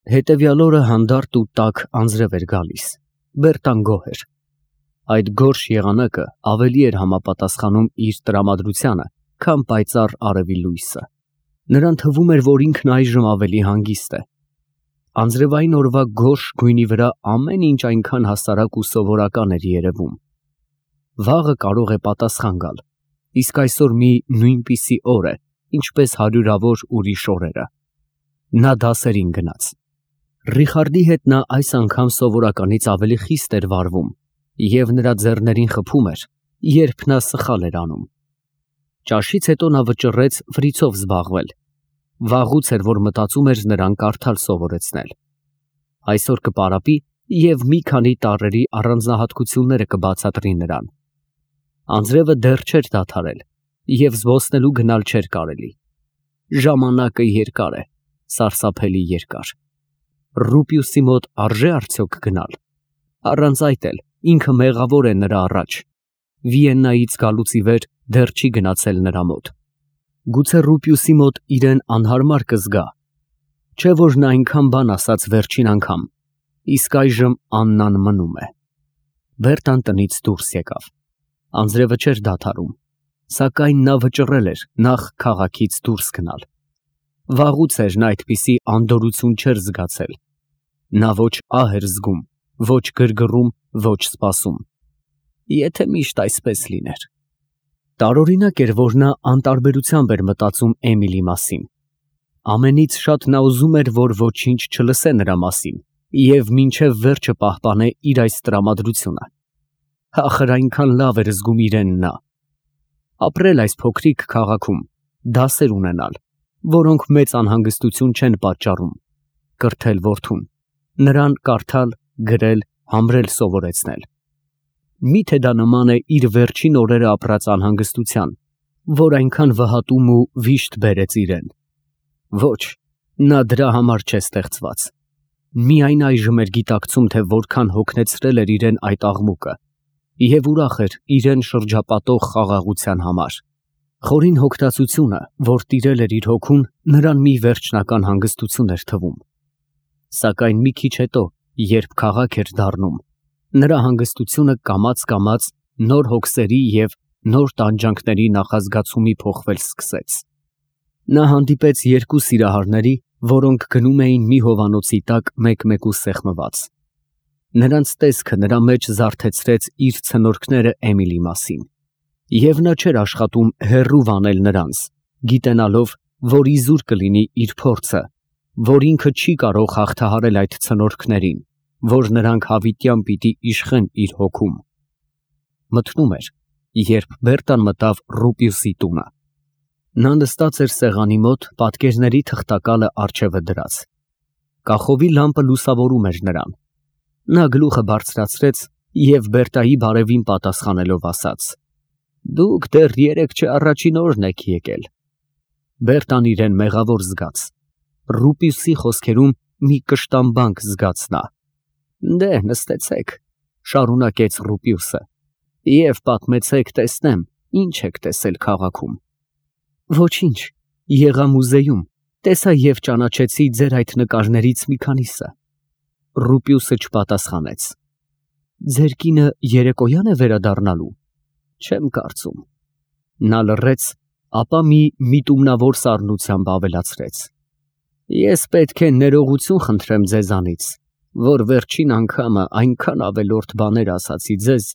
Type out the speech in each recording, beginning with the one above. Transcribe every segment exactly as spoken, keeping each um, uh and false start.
Հետևյալ օրը հանդարտ ու տաք անձրև էր գալիս, Բերտան գոհ էր։ Այդ գորշ եղանակը ավելի էր համապատասխանում իր տրամադրությանը, քան պայծառ արևի լույսը։ Նրան թվում էր, որ ինքն այժմ ավելի հանգիստ է։ Անձրևային օրվա գորշ գույնի վրա ամեն ինչ այնքան հասարակ ու սովորական էր երևում։ Վաղը կարող է պատասխան գալ, իսկ այսօր մի նույնպիսի օր է, ինչպես հարյուրավոր ուրիշ օրերը։ Նա դասերին գնաց։ Ռիխարդի հետ նա այս անգամ սովորականից ավելի խիստ էր վարվում և նրա ձեռներին խփում էր, երբ նա սխալ էր անում։ Ճաշից հետո նա վճռեց ֆրիցով զբաղվել։ Վաղուց էր, որ մտածում էր նրան կարդալ սովորեցնել։ Այսօր կպարապի և մի քանի տառերի առանձնահատկությունները կբացատրի նրան։ Անձրևը դեռ չէր դադարել և զբոսնելու գնալ չէր կարելի։ Ժամանակը երկար է, սարսափելի երկար։ Ռուպիուսի մոտ արժե՞ արդյոք գնալ։ Առանց այդ էլ ինքը մեղավոր է նրա առաջ։ Վիեննայից գալուց ի վեր դեռ չի գնացել նրա մոտ։ Գուցե Ռուպիուսի մոտ իրեն անհարմար կզգա, չէ՞ որ նա այնքան բան ասաց վերջին անգամ, իսկ այժմ Աննան մնում է։ Բերտան տնից դուրս եկավ։ Անձրևը չէր դադարում, սակայն նա վճռել էր նախ քաղաքից դուրս գնալ։ Վաղուց էր նա այդպիսի անդորրություն չէր զգացել։ Նա ոչ ահ էր զգում, ոչ գրգռում, ոչ սպասում։ Եթե միշտ այսպես լիներ։ Տարօրինակ էր, որ նա անտարբերությամբ էր մտածում Էմիլի մասին։ Ամենից շատ նա ուզում էր, որ ոչինչ չլսե նրա մասին և մինչև վերջը պահպանե իր այս տրամադրությունը։ Ախր այնքան լավ էր զգում իրեն նա։ Ապրել այս փոքրիկ քաղաքում, դասեր ունենալ, որոնք մեծ անհանգստություն չեն պատճառում, կրթել որդուն, նրան կարդալ, գրել, համրել սովորեցնել։ Մի՞թե դա նման է իր վերջին օրերը ապրած անհանգստության, որ այնքան վհատում ու վիշտ բերեց իրեն։ Ոչ, նա դրա համար չէ ստեղծված։ Միայն այժմ էր գիտակցում, թե որքան հոգնեցրել էր իրեն այդ աղմուկը, և ուրախ էր իրեն շրջապատող խաղաղության համար։ Խորին հոգնածությունը, որ տիրել էր իր հոգուն, նրան մի վերջնական հանգստություն էր թվում։ Սակայն մի քիչ հետո, երբ քաղաք էր դառնում, նրա հանգստությունը կամաց֊կամաց նոր հոգսերի և նոր տանջանքների նախազգացումի փոխվել սկսեց։ Նա հանդիպեց երկու սիրահարների, որոնք գնում էին մի հովանոցի տակ մեկ֊մեկու սեղմված։ Նրանց տեսքը նրա մեջ զարթեցրեց իր ցնորքները Էմիլի մասին, և նա չէր աշխատում հեռու վանել նրանց, գիտենալով, որ իզուր կլինի իր փորձը, որ ինքը չի կարող հաղթահարել այդ ցնորքներին, որ նրանք հավիտյան պիտի իշխեն իր հոգում։ Մթնում էր, երբ Բերտան մտավ Ռուպիուսի տունը։ Նա նստած էր սեղանի մոտ, պատկերների թղթակալը առջևը դրած։ Կախովի լամպը լուսավորում էր նրան։ Նա գլուխը բարձրացրեց և Բերտայի բարևին պատասխանելով ասաց. «Դուք դեռ երեկ չէ առաջին օրն եք եկել»։ Բերտան իրեն մեղավոր զգաց։ Ռուպիուսի խոսքերում մի կշտամբանք զգաց նա։ «Դե նստեցեք», շարունակեց Ռուպիուսը, «և պատմեցեք, տեսնեմ, ինչ եք տեսել քաղաքում»։ «Ոչինչ, եղա մուզեյում, տեսա և ճանաչեցի ձեր այդ նկարներից մի քանիսը»։ Ռուպիուսը չպատասխանեց։ «Ձեր կինը երեկոյա՞ն է վերադառնալու»։ «Չեմ կարծում»։ Նա լռեց, ապա մի միտումնավոր սառնությամբ ավելացրեց. «Ես պետք է ներողություն խնդրեմ ձեզանից, որ վերջին անգամը այնքան ավելորդ բաներ ասացի ձեզ,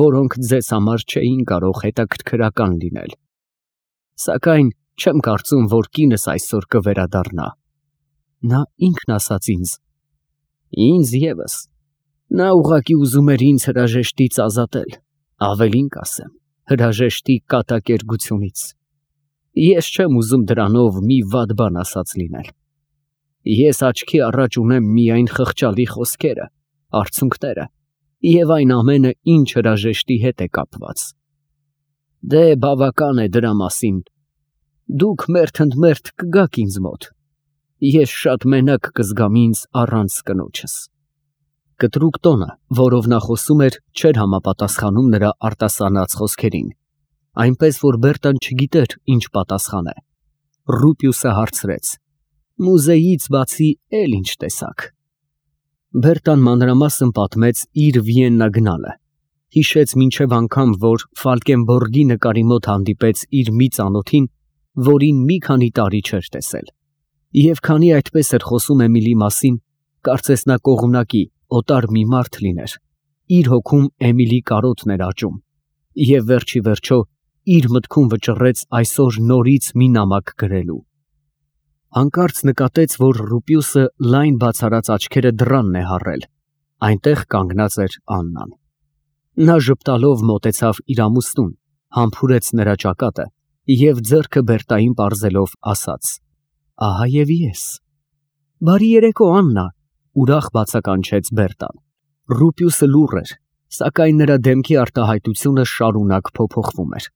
որոնք ձեզ համար չէին կարող հետաքրքրական լինել։ Սակայն չեմ կարծում, որ կինս այսօր կվերադառնա»։ Նա ինքն ասաց ինձ։ «Ինձ ևս։ Նա ուղղակի ուզում էր ինձ հրաժեշտից ազատել, ավելին կասեմ, հրաժեշտի կատակերգությունից։ Ես չեմ ուզում դրանով մի վատ բան ասած լինել։ Ես աչքի առաջ ունեմ միայն խղճալի խոսքերը, արցունքները և այն ամենը, ինչ հրաժեշտի հետ է կապված։ Դե բավական է դրա մասին։ Դուք մերթընդմերթ կգաք ինձ մոտ։ Ես շատ մենակ կզգամ ինձ առանց կնոջս»։ Կտրուկ տոնը, որով նա խոսում էր, չէր համապատասխանում նրա արտասանած խոսքերին, այնպես որ Բերտան չգիտեր ինչ պատասխանե։ Ռուպիուսը հարցրեց. Մուզեյից բացի էլ ինչ տեսակ։ Բերտան մանրամասն պատմեց իր Վիեննա գնալը, հիշեց մինչև անգամ, որ Ֆալկենբորգի նկարի մոտ հանդիպեց իր մի ծանոթին, որին մի քանի տարի չէր տեսել, և քանի այդպես էր խոսում Էմիլի մասին, կարծես նա կողմնակի, օտար մի մարդ լիներ, իր հոգում Էմիլի կարոտն էր աճում, և վերջի վերջո իր մտքում վճռեց այսօր նորից մի նամակ գրելու։ Հանկարծ նկատեց, որ Ռուպիուսը լայն բացարած աչքերը դռանն է հառել, այնտեղ կանգնած էր Աննան։ Նա ժպտալով մոտեցավ իր ամուսնուն, համբուրեց նրա ճակատը և ձեռքը Բերտային պարզելով ասաց. «Ահա և ես»։ «Բարի երեկո, Աննա», ուրախ բացականչեց Բերտան։ Ռուպիուսը լուռ էր, սակայն նրա դեմքի արտահայտությունը շարունակ փոփոխվում էր։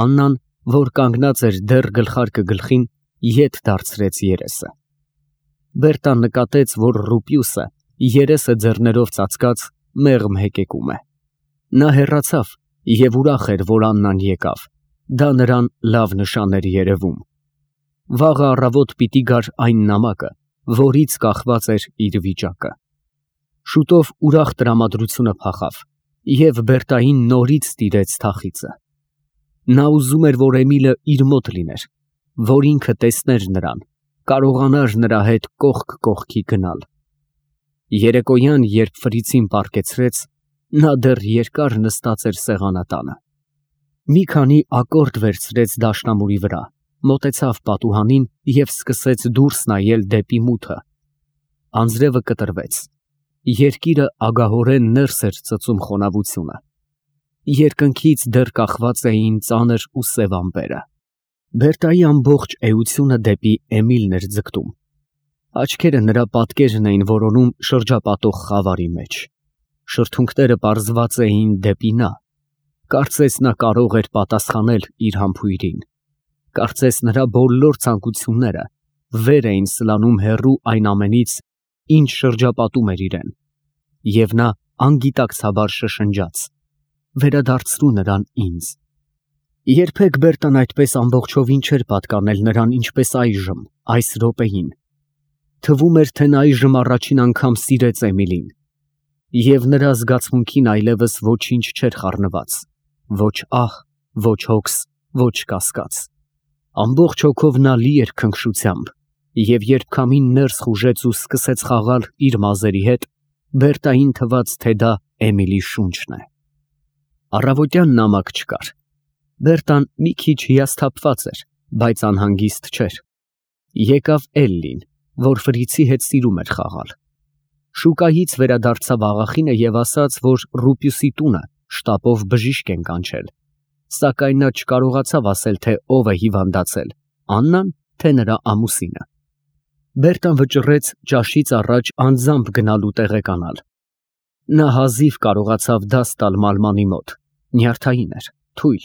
Աննան, որ կանգնած էր դեռ գլխարկը գլխին, ետ դարձրեց երեսը։ Բերտան նկատեց, որ Ռուպիուսը, երեսը ձեռներով ծածկած, մեղմ հեկեկում է։ Նա հեռացավ և ուրախ էր, որ Աննան եկավ, դա նրան լավ նշան էր երևում։ Վաղը առավոտ պիտի գար այն նամակը, որից կախված էր իր վիճակը։ Շուտով ուրախ տրամադրությունը փախավ, և Բերտային նորից տիրեց թախիծը։ Նա ուզում էր, որ Էմիլը իր մոտ լիներ, որ ինքը տեսներ նրան, կարողանար նրա հետ կողք կողքի գնալ։ Երեկոյան, երբ Ֆրիցին պառկեցրեց, նա դեռ երկար նստած էր սեղանատանը։ Մի քանի ակորդ վերցրեց դաշնամուրի վրա, մոտեցավ պատուհանին և սկսեց դուրս նայել դեպի մութը։ Անձրևը կտրվեց։ Երկիրը ագահորեն ներս էր ծծում խոնավությունը։ Երկնքից դեռ կախված էին ծանր ու սև ամպերը։ Բերտայի ամբողջ էությունը դեպի Էմիլն էր ձգտում։ Աչքերը նրա պատկերն էին որոնում շրջապատող խավարի մեջ։ Շրթունքները պարզված էին դեպի նա։ Կարծես նա կարող էր պատասխանել իր համբույրին։ Կարծես նրա բոլոր ցանկությունները վեր էին սլանում հեռու այն ամենից, ինչ շրջապատում էր իրեն։ Եվ նա անգիտակցաբար շշնջաց. «Վերադարձրու նրան ինձ»։ Երբեք Բերտան այդպես ամբողջովին չէր պատկանել նրան, ինչպես այժմ, այս րոպեին։ Թվում էր, թե նա այժմ առաջին անգամ սիրեց Էմիլին։ Եվ նրա զգացմունքին այլևս ոչինչ չէր խառնված, ոչ ահ, ոչ հոգս, ոչ կասկած։ Ամբողջ հոգով նա լի էր քնքշությամբ, և երբ քամին ներս խուժեց ու սկսեց խաղալ իր մազերի հետ, Բերտային թվաց, թե դա Էմիլի շունչն է։ Առավոտյան նամակ չկար։ Բերտան մի քիչ հիասթափված էր, բայց անհանգիստ չէր։ Եկավ Էլլին, որ Ֆրիցի հետ սիրում էր խաղալ։ Շուկայից վերադարձավ աղախինը և ասաց, որ Ռուպիուսի տունը շտապով բժիշկ են կանչել, սակայն նա չկարողացավ ասել, թե ով է հիվանդացել, Աննան, թե նրա ամուսինը։ Բերտան վճռեց ճաշից առաջ անձամբ գնալու տեղեկանալ։ Նա հազիվ կարողացավ դաս տալ Մալմանի մոտ, նյարդային էր, թույլ։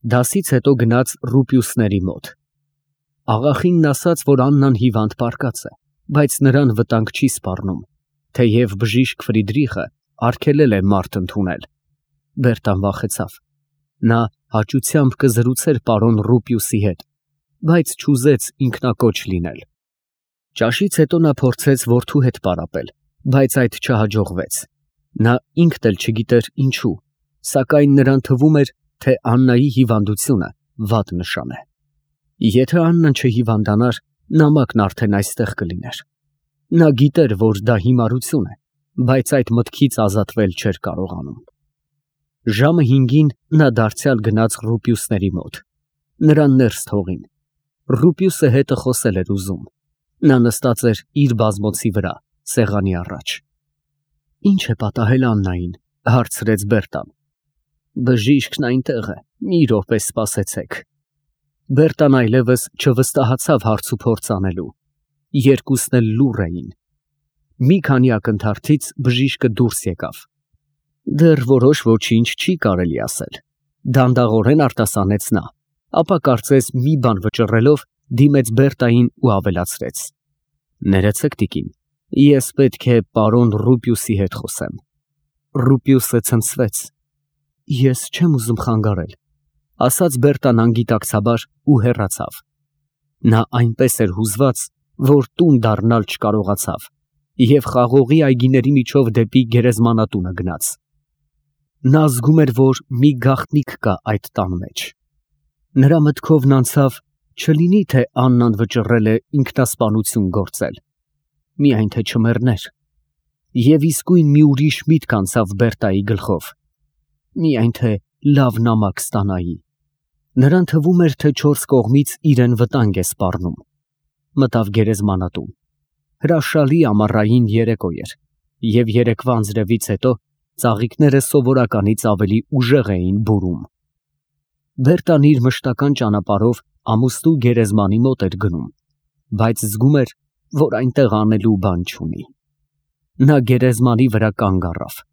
Դասից հետո գնաց Ռուպիուսների մոտ։ Աղախինն ասաց, որ Աննան հիվանդ պառկած է, բայց նրան վտանգ չի սպառնում, թեև բժիշկ Ֆրիդրիխը արգելել է մարդ ընդունել։ Բերտան վախեցավ։ Նա հաճությամբ կզրուցեր պարոն Ռուպիուսի հետ, բայց չուզեց ինքնակոչ լինել։ Ճաշից հետո նա փորձեց որդու հետ պարապել, բայց այդ չհաջողվեց։ Նա ինքն էլ չգիտեր ինչու, սակայն նրան թվում էր, թե Աննայի հիվանդությունը վատ նշան է։ Եթե Աննան չհիվանդանար, նամակն արդեն այստեղ կլիներ։ Նա գիտեր, որ դա հիմարություն է, բայց այդ մտքից ազատվել չէր կարողանում։ Ժամը հինգին նա դարձյալ գնաց Ռուպիուսների մոտ։ Նրան ներս թողին։ Ռուպիուսը հետը խոսել էր ուզում։ Նա նստած էր իր բազմոցի վրա, սեղանի առաջ։ «Ինչ է պատահել Աննային», հարցրեց Բերտան։ «Բժիշկն այնտեղ է, մի րոպե սպասեցեք»։ Բերտան այլևս չվստահացավ հարցուփորձ անելու։ Երկուսն էլ լուռ էին։ Մի քանի ակնթարթից բժիշկը դուրս եկավ։ «Դեռ որոշ ոչինչ չի կարելի ասել», դանդաղորեն արտասանեց նա, ապա կարծես մի բան վճռելով դիմեց Բերտային ու ավելացրեց. «Ներեցեք, տիկին, ես պետք է պարոն Ռուպիուսի հետ խոսեմ»։ Ռուպիուսը ցնցվեց։ «Ես չեմ ուզում խանգարել», ասաց Բերտան անգիտակցաբար ու հեռացավ։ Նա այնպես էր հուզված, որ տուն դառնալ չկարողացավ և խաղողի այգիների միջով դեպի գերեզմանատունը գնաց։ Նա զգում էր, որ մի գաղտնիք կա այդ տան մեջ։ Նրա մտքովն անցավ, չլինի թե Աննան վճռել է ինքնասպանություն գործել, միայն թե չմեռներ։ Եվ իսկույն մի ուրիշ միտք անցավ Բերտայի գլխով, միայն թե լավ նամակ ստանայի։ Նրան թվում էր, թե չորս կողմից իրեն վտանգ է սպառնում։ Մտավ գերեզմանատուն։ Հրաշալի ամառային երեկո էր, և երեկվա անձրևից հետո ծաղիկները սովորականից ավելի ուժեղ էին բուրում։ Բերտան իր մշտական ճանապարհով ամուսնու գերեզմանի մոտ էր գնում, բայց զգում էր, որ այնտեղ անելու բան չունի։ Նա գերեզմանի վրա կանգ առավ։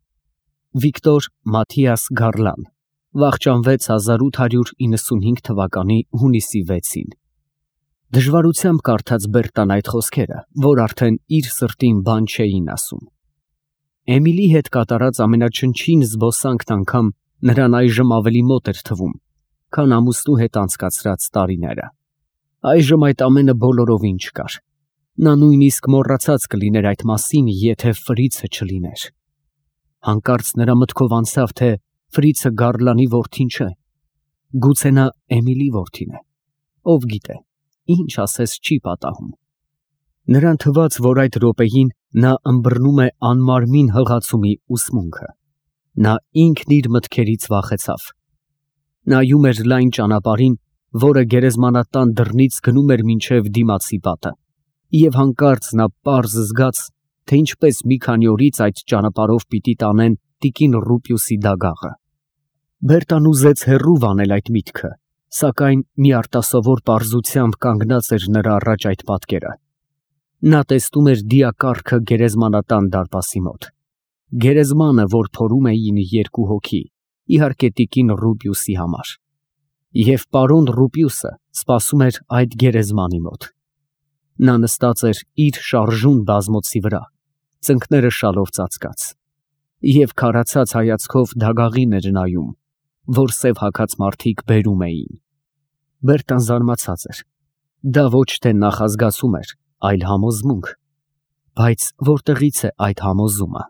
Վիկտոր Մաթիաս Գարլան վախճանվեց հազար ութ հարյուր իննսունհինգ թվականի հունիսի վեցին։ Դժվարությամբ կարդաց Բերտան այդ խոսքերը, որ արդեն իր սրտին բան չէին ասում։ Էմիլի հետ կատարած ամենաչնչին զբոսանքն անգամ նրան այժմ ավելի մոտ էր թվում, քան ամուսնու հետ անցկացրած տարիները։ Այժմ այդ ամենը բոլորովին չկար։ Նա նույնիսկ մոռացած կլիներ այդ մասին, եթե Ֆրիցը չլիներ։ Հանկարծ նրա մտքով անցավ, թե Ֆրիցը Գարլանի որդին չէ։ Գուցե նա Էմիլի որդին է։ Ով գիտե, ինչ ասես չի պատահում։ Նրան թվաց, որ այդ րոպեին նա ըմբռնում է անմարմին հղացումի ուսմունքը։ Նա ինքն իր մտքերից վախեցավ։ Նայում էր լայն ճանապարհին, որը գերեզմանատան դռնից գնում էր մինչև դիմացի պատը, և հանկարծ նա պարզ զգաց, թե ինչպես մի քանի օրից այդ ճանապարհով պիտի տանեն տիկին Ռուպիուսի դագաղը։ Բերտան ուզեց հեռու վանել այդ միտքը, սակայն մի արտասովոր պարզությամբ կանգնած էր նրա առաջ այդ պատկերը։ Նա տեսնում էր դիակառքը գերեզմանատան դարպասի մոտ։ Գերեզմանը, որ փորում էին երկու հոգի, իհարկե տիկին Ռուպիուսի համար։ Եվ պարոն Ռուպիուսը սպասում էր այդ գերեզմանի մոտ։ Նա նստած էր իր շարժուն բազմոցի վրա, ծնկները շալով ծածկած, և քարացած հայացքով դագաղին էր նայում, որ սև հագած մարդիկ բերում էին։ Բերտան զարմացած էր։ Դա ոչ թե նախազգացում էր, այլ համոզմունք։ Բայց որտեղից է այդ համոզումը։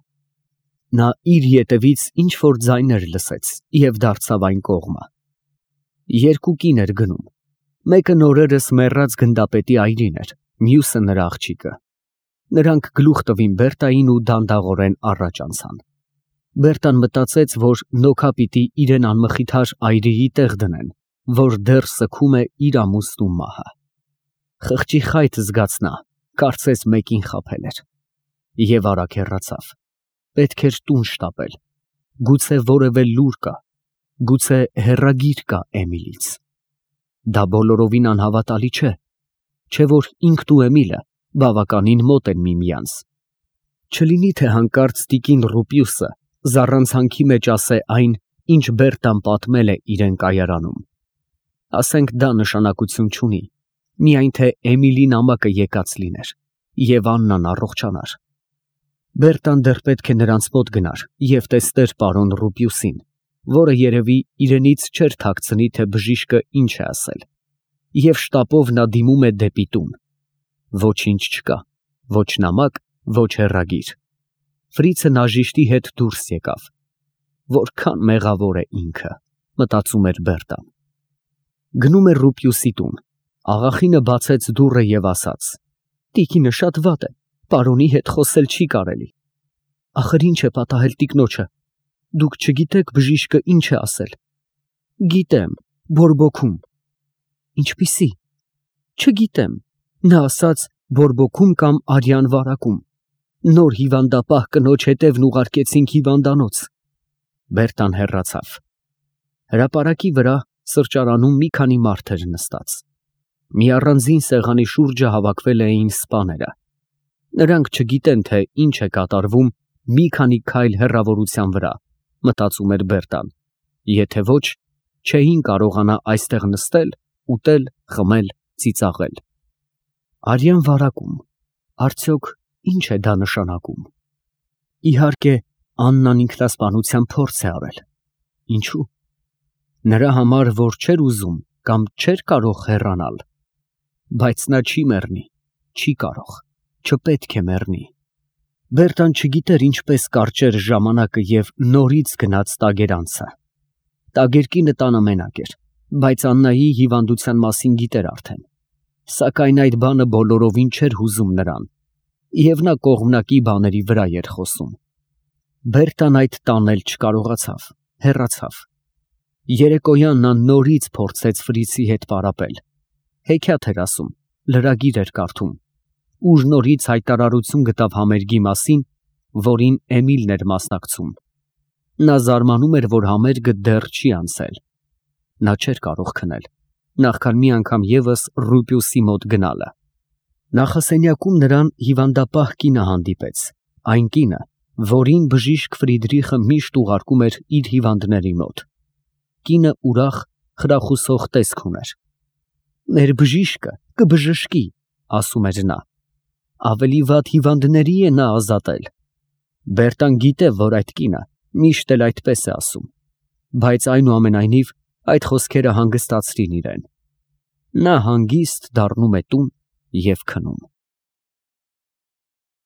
Նա իր ետևից ինչ-որ ձայներ լսեց և դարձավ այն կողմը։ Երկու կին էր գնում։ Մեկը նորերս մեռած գնդապետի այրին էր, մյուսը նրա աղջիկը։ Նրանք գլուխ տվին Բերտային ու դանդաղորեն առաջ անցան։ Բերտան մտածեց, որ նոքա պիտի իրեն անմխիթար այրիի տեղ դնեն, որ դեռ սգում է իր ամուսնու մահը։ Խղճի խայթ զգաց նա, կարծես մեկին խաբել էր։ Եվ արագ հեռացավ։ Պետք էր տուն շտապել։ Գուցե որևէ լուր կա, գուցե հեռագիր կա Էմիլից։ Դա բոլորովին անհավատալի չէ, չէ որ ինքն ու Էմիլը բավականին մոտ են միմյանց։ Չլինի թե հանկարծ տիկին Ռուպիուսը զառանցանքի մեջ ասե այն, ինչ Բերտան պատմել է իրեն կայարանում։ Ասենք դա նշանակություն չունի, միայն թե Էմիլի նամակը եկած լիներ, և Աննան առողջանար։ Բերտան դեռ պետք է նրանց մոտ գնար և տեսներ պարոն Ռուպիուսին, որը երևի իրենից չէր թաքցնի, թե բժիշկը ինչ է ասել, և շտապով նա դիմում է դեպի տուն։ Ոչինչ չկա, ոչ նամակ, ոչ հեռագիր։ Ֆրիցը նաժիշտի հետ դուրս եկավ։ Որքան մեղավոր է ինքը, մտածում էր Բերտան։ Գնում էր Ռուպիուսի տուն։ Աղախինը բացեց դուռը և ասաց. «Տիկինը շատ վատ է, պարոնի հետ խոսել չի կարելի»։ Ախր ինչ է պատահել տիկնոջը։ Դուք չգիտեք բժիշկը ինչ է ասել։ Գիտեմ, բորբոքում։ Ինչպիսի։ Չգիտեմ։ Նա ասաց բորբոքում կամ արյան վարակում։ Նոր հիվանդապահ կնոջ հետևն ուղարկեցինք հիվանդանոց։ Բերտան հեռացավ։ Հրապարակի վրա սրճարանում մի քանի մարդ էր նստած։ Մի առանձին սեղանի շուրջը հավաքվել էին սպաները։ Նրանք չգիտեն, թե ինչ է կատարվում մի քանի քայլ հեռավորության վրա, մտածում էր Բերտան, եթե ոչ, չէին կարողանա այստեղ նստել, ուտել, խմել, ծիծաղել։ Արյան վարակում, արդյոք ինչ է դա նշանակում։ Իհարկե, Աննան ինքնասպանության փորձ է արել։ Ինչու։ Նրա համար, որ չէր ուզում կամ չէր կարող հեռանալ։ Բայց նա չի մեռնի, չի կարող, չպետք է մեռնի։ Բերտան չգիտեր ինչպես կարճեր ժամանակը և նորից գնաց տագերանցը։ Տագերկինը տանը մենակ էր, բայց Աննայի հիվանդության մասին գիտեր արդեն։ Սակայն այդ բանը բոլորովին չէր հուզում նրան, և նա կողմնակի բաների վրա էր խոսում։ Բերտան այդ տանել չկարողացավ, հեռացավ։ Երեկոյան նա նորից փորձեց Ֆրիցի հետ պարապել, հեքիաթ էր ասում, լրագիր էր կարդում, ուր նորից հայտարարություն գտավ համերգի մասին, որին Էմիլն էր մասնակցում։ Նա զարմանում էր, որ համերգը դեռ չի անցել։ Նա չէր կարող քնել, նախքան մի անգամ ևս Ռուպիուսի մոտ գնալը։ Նախասենյակում նրան հիվանդապահ կինը հանդիպեց, այն կինը, որին բժիշկ Ֆրիդրիխը միշտ ուղարկում էր իր հիվանդների մոտ։ Կինը ուրախ, խրախուսող տեսք ուներ։ «Մեր բժիշկը կբժշկի», ասում էր նա։ Ավելի վատ հիվանդների է նա ազատել։ Բերտան գիտե, որ այդ կինը միշտ էլ այդպես է ասում, բայց այնուամենայնիվ այդ խոսքերը հանգստացրին իրեն։ Նա հանգիստ դառնում է տուն և քնում։